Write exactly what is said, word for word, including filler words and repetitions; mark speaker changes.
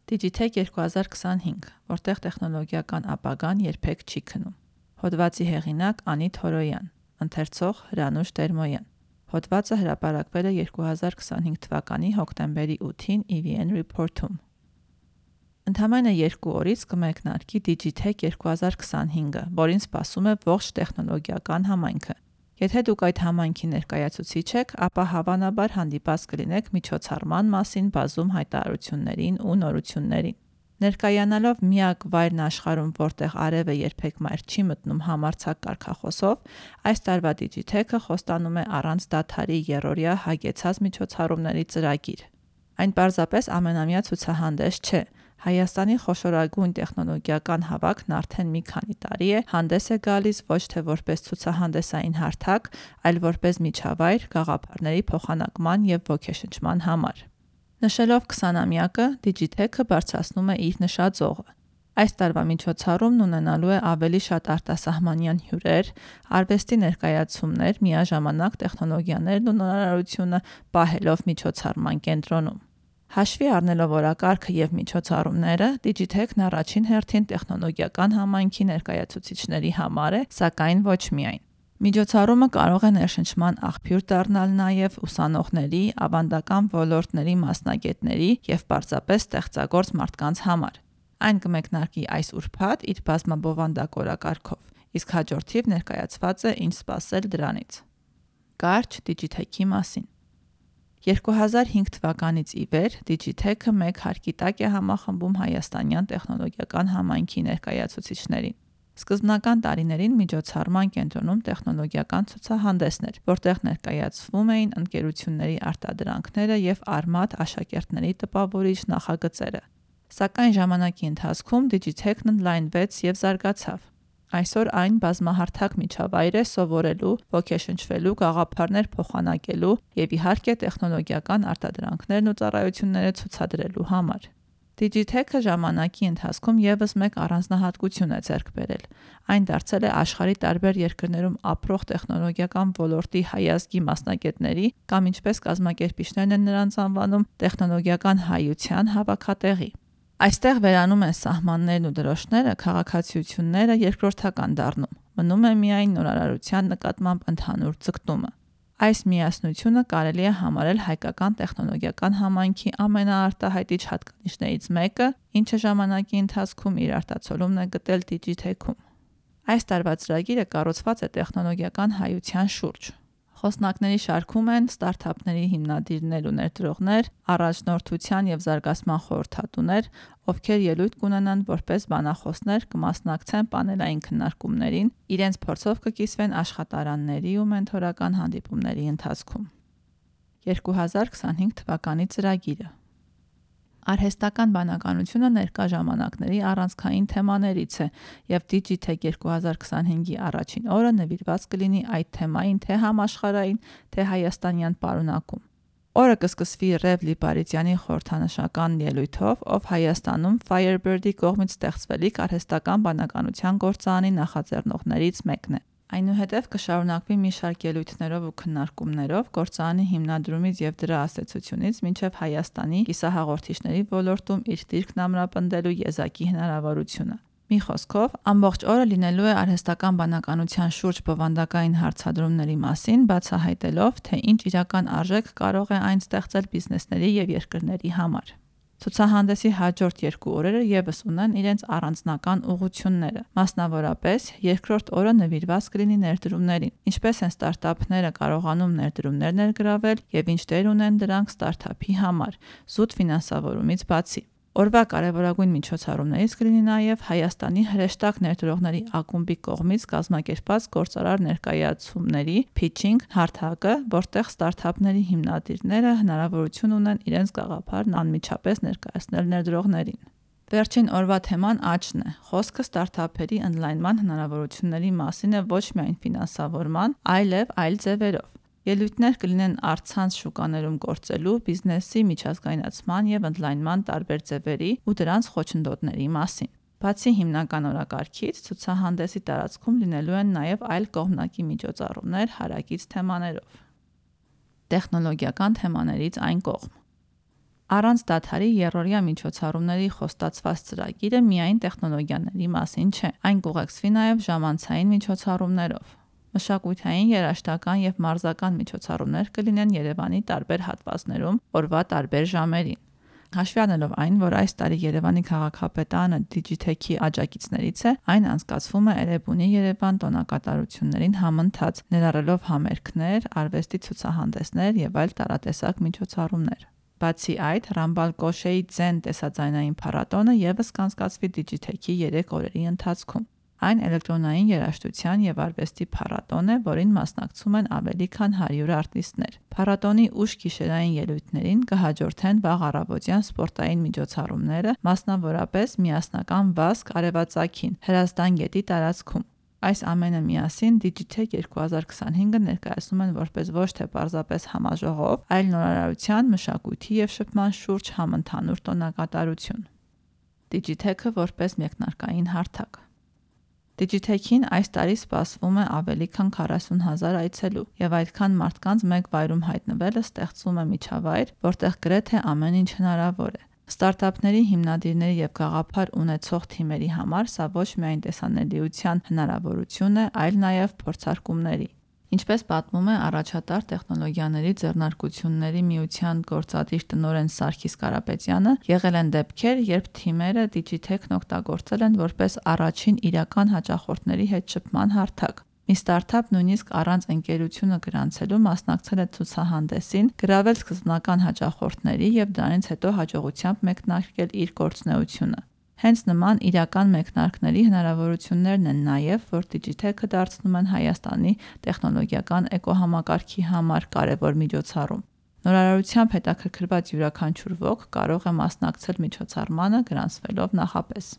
Speaker 1: Digitech երկու հազար քսանհինգ, որտեղ տեխնոլոգիական ապագան երբեք չի քնում։ Հոդվածի հեղինակ Անի Թորոյան, ընթերցող Հրանուշ Տերմոյան։ Հոդվածը հրապարակվել է երկու հազար քսանհինգ թվականի հոկտեմբերի ութին E V N Report-ում։ Ընդամենը երկու օրից կմեկնարկի Digitech երկու հազար քսանհինգը, որին սպասում է ողջ տեխնոլոգիական համայնքը։ Եթե դուք այդ համայնքի ներկայացուցիչ եք, ապա հավանաբար հանդիպած կլինեք միջոցառման մասին բազում հայտարարություններին ու նորություններին։ Ներկայանալով միակ վայրն աշխարհում, որտեղ արևը երբեք մայր չի մտնում համարձակ կարգախոսով, այս տարվա Digitech-ը խոստանում է առանց դադարի եռօրյա հագեցած միջոցառումների ծրագիր։ Այն պարզապես ամենամյա ցուցահանդես չէ։ Հայաստանի խոշորագույն տեխնոլոգիական հավաքն արդեն մի քանի տարի է հանդես է գալիս ոչ թե որպես ցուցահանդեսային հարթակ, այլ որպես միջավայր գաղափարների փոխանակման և ոգեշնչման համար։ Նշելով քսանամյակը, Digitech-ը բարձրացնում է իր նշաձողը։ Այս տարվա միջոցառումն ունենալու է ավելի շատ արտասահմանյան հյուրեր, արվեստի ներկայացումներ, միաժամանակ տեխնոլոգիաներն ու նորարարությունը պահելով միջոցառման կենտրոնում։ Հաշվի առնելով օրակարգը և միջոցառումները, Digitech-ն առաջին հերթին տեխնոլոգիական համայնքի ներկայացուցիչների համար է, սակայն ոչ միայն։ Միջոցառումը կարող է ներշնչման աղբյուր դառնալ նաև ուսանողների, ավանդական ոլորտների մասնագետների և պարզապես ստեղծագործ մարդկանց համար։ Այն կմեկնարկի այս ուրբաթ իր բազմաբովանդակ օրակարգով, իսկ հաջորդիվ ներկայացված է ինչ սպասել դրանից։ Կարճ Digitech-ի մասին։ երկու հազար հինգ թվականից ի վեր Digitech-ը մեկ հարկի տակ է համախմբում հայաստանյան տեխնոլոգիական համայնքի ներկայացուցիչներին։ Սկզբնական տարիներին միջոցառման կենտրոնում տեխնոլոգիական ցուցահանդեսներ, որտեղ ներկայացվում էին ընկերությունների արտադրանքները և արմատ աշակերտների տպավորիչ նախագծերը։ Սակայն ժամանակի ընթացքում Digitech-ն ընդլայնվեց և զարգացավ։ Այսօր այն բազմահարթակ միջավայր է սովորելու, ոգեշնչվելու, գաղափարներ փոխանակելու և իհարկե տեխնոլոգիական արտադրանքներն ու ծառայությունները ցուցադրելու համար։ Digitech-ը ժամանակի ընթացքում ևս մեկ առանձնահատկություն է ձեռք բերել։ Այն դարձել է աշխարհի տարբեր երկրներում ապրող տեխնոլոգիական ոլորտի հայազգի մասնագետների կամ ինչպես կազմակերպիչներն են նրանց անվանում, տեխնոլոգիական հայության հավաքատեղի։ Այստեղ վերանում են սահմաններն ու դրոշները, քաղաքացիությունները երկրորդական դառնում, մնում է միայն նորարարության նկատմամբ ընդհանուր ձգտումը։ Այս միասնությունը կարելի է համարել հայկական տեխնոլոգիական համայնքի ամենաարտահայտիչ հատկանիշներից մեկը, ինչը ժամանակի ընթացքում իր արտացոլումն է գտել Digitech-ում։ Այս տարվա ծրագիրը կառուցված է տեխնոլոգիական հայության շուրջ։ Խոսնակների շարքում են ստարտափների հիմնադիրներ ու ներդրողներ, առաջնորդության և զարգացման խորհրդատուներ, ովքեր ելույթ կունենան որպես բանախոսներ, կմասնակցեն պանելային քննարկումներին, իրենց փորձով կկիսվեն աշխատարանների ու մենթորական հանդիպումների ընթացքում։ երկու հազար քսանհինգ թվականի ծրագիրը։ Արհեստական բանականությունը ներկա ժամանակների առանցքային թեմաներից է, և Digitech երկու հազար քսանհինգի առաջին օրը նվիրված կլինի այդ թեմային թե համաշխարհային, թե հայաստանյան պարունակում։ Օրը կսկսվի Ռև Լիպարիծյանի խորհրդանշական ելույթով, ով Հայաստանում Firebird-ի կողմից ստեղծվելիք արհեստական բանականության գործարանի նախաձեռնողներից մեկն է։ Այնուհետև կշարունակվի մի շարք ելույթներով ու քննարկումներով գործարանի հիմնադրումից և դրա ազդեցությունից մինչև Հայաստանի կիսահաղորդիչների ոլորտում իր դիրքն ամրապնդելու եզակի հնարավորությունը։ Մի խոսքով, ամբողջ օրը լինելու է արհեստական բանականության շուրջ բովանդակային հարցադրումների մասին, բացահայտելով, թե ինչ իրական արժեք կարող է այն ստեղծել բիզնեսների և երկրների համար։ Ցուցահանդեսի հաջորդ երկու օրերը ևս ունեն իրենց առանձնական ուղղությունները։ Մասնավորապես, երկրորդ օրը նվիրված կլինի ներդրումներին, ինչպես են ստարտափները կարողանում ներդրումներ ներգրավել և ինչ դեր ունեն դրանք ստարտափի համար, զուտ ֆինանսավորումից բացի։ Օրվա կարևորագույն միջոցառումներից կլինի նաև Հայաստանի հրեշտակ ներդրողների ակումբի կողմից կազմակերպված գործարար ներկայացումների փիչինգ հարթակը, որտեղ ստարտափների հիմնադիրները հնարավորություն ունեն իրենց գաղափարն անմիջապես ներկայացնել ներդրողներին։ Վերջին օրվա թեման աճն է։ Խոսքը ստարտափերի ընդլայնման հնարավորությունների մասին է ոչ միայն ֆինանսավորման, այլև այլ ձևերով։ Ելույթներ կլինեն առցանց շուկաներում գործելու, բիզնեսի միջազգայնացման և ընդլայնման տարբեր ձևերի ու դրանց խոչընդոտների մասին։ Բացի հիմնական օրակարգից, ցուցահանդեսի տարածքում լինելու են նաև այլ կողմնակի միջոցառումներ հարակից թեմաներով։ Տեխնոլոգիական թեմաներից այն կողմ։ Առանց դադարի եռօրյա միջոցառումների խոստացված ծրագիրը միայն տեխնոլոգիաների մասին չէ, այն կուղեկցվի նաև ժամանցային միջոցառումներով։ Մշակութային, երաժշտական և մարզական միջոցառումներ կլինեն Երևանի տարբեր հատվածներում օրվա տարբեր ժամերին։ Հաշվի առնելով այն, որ այս տարի Երևանի քաղաքապետարանը Digitech-ի աջակիցներից է, այն անցկացվում է Էրեբունի Երևան տոնակատարություններին համընթաց, ներառելով համերգներ, արվեստի ցուցահանդեսներ և այլ տարատեսակ միջոցառումներ։ Բացի այդ, Ռամբալ Կոշեի Ձեն տեսաձայնային փառատոնը ևս կանցկացվի Digitech-ի երեք օրերի ընթացքում։ Այն էլեկտրոնային երաժշտության և արվեստի փառատոն է, որին մասնակցում են ավելի քան հարյուր արտիստներ։ Փառատոնի ուշ գիշերային ելույթներին կհաջորդեն վաղ առավոտյան սպորտային միջոցառումները, մասնավորապես միասնական վազք արևածագին Հրազդան գետի տարածքում։ Այս ամենը միասին Digitech երկու հազար քսանհինգը ներկայացնում են որպես ոչ թե պարզապես համաժողով, այլ նորարարության, մշակույթի և շփման շուրջ համընդհանուր տոնակատարություն։ Digitech-ը որպես մեկնարկային հարթակ։ Digitech-ին այս տարի սպասվում է ավելի քան քառասուն հազար այցելու, և այդքան մարդկանց մեկ վայրում հայտնվելը ստեղծում է միջավայր, որտեղ գրեթե ամեն ինչ հնարավոր է։ Ստարտափների հիմնադիրների և գաղափար ունեցող թիմերի համար սա ոչ միայն տեսանելիության հնարավորություն է, այլ նաև փորձարկումների։ Ինչպես պատմում է առաջատար տեխնոլոգիաների ձեռնարկությունների միության գործադիր տնօրեն Սարգիս Կարապետյանը, եղել են դեպքեր, երբ թիմերը Digitech-ն օգտագործել են որպես առաջին իրական հաճախորդների հետ շփման հարթակ։ Մի ստարտափ նույնիսկ առանց ընկերությունը գրանցելու մասնակցել է ցուցահանդեսին, գրավել սկզբնական հաճախորդների և դրանից հետո հաջողությամբ մեկնարկել իր գործունեությունը։ Հենց նման իրական մեկնարկների հնարավորություններն են նաև, որ Digitech-ը դարձնում են Հայաստանի տեխնոլոգիական էկոհամակարգի համար կարևոր միջոցառում։ Նորարարությամբ հետաքրքրված յուրաքանչյուր ոք կարող է մասնակցել միջոցառմանը գրանցվելով նախապես։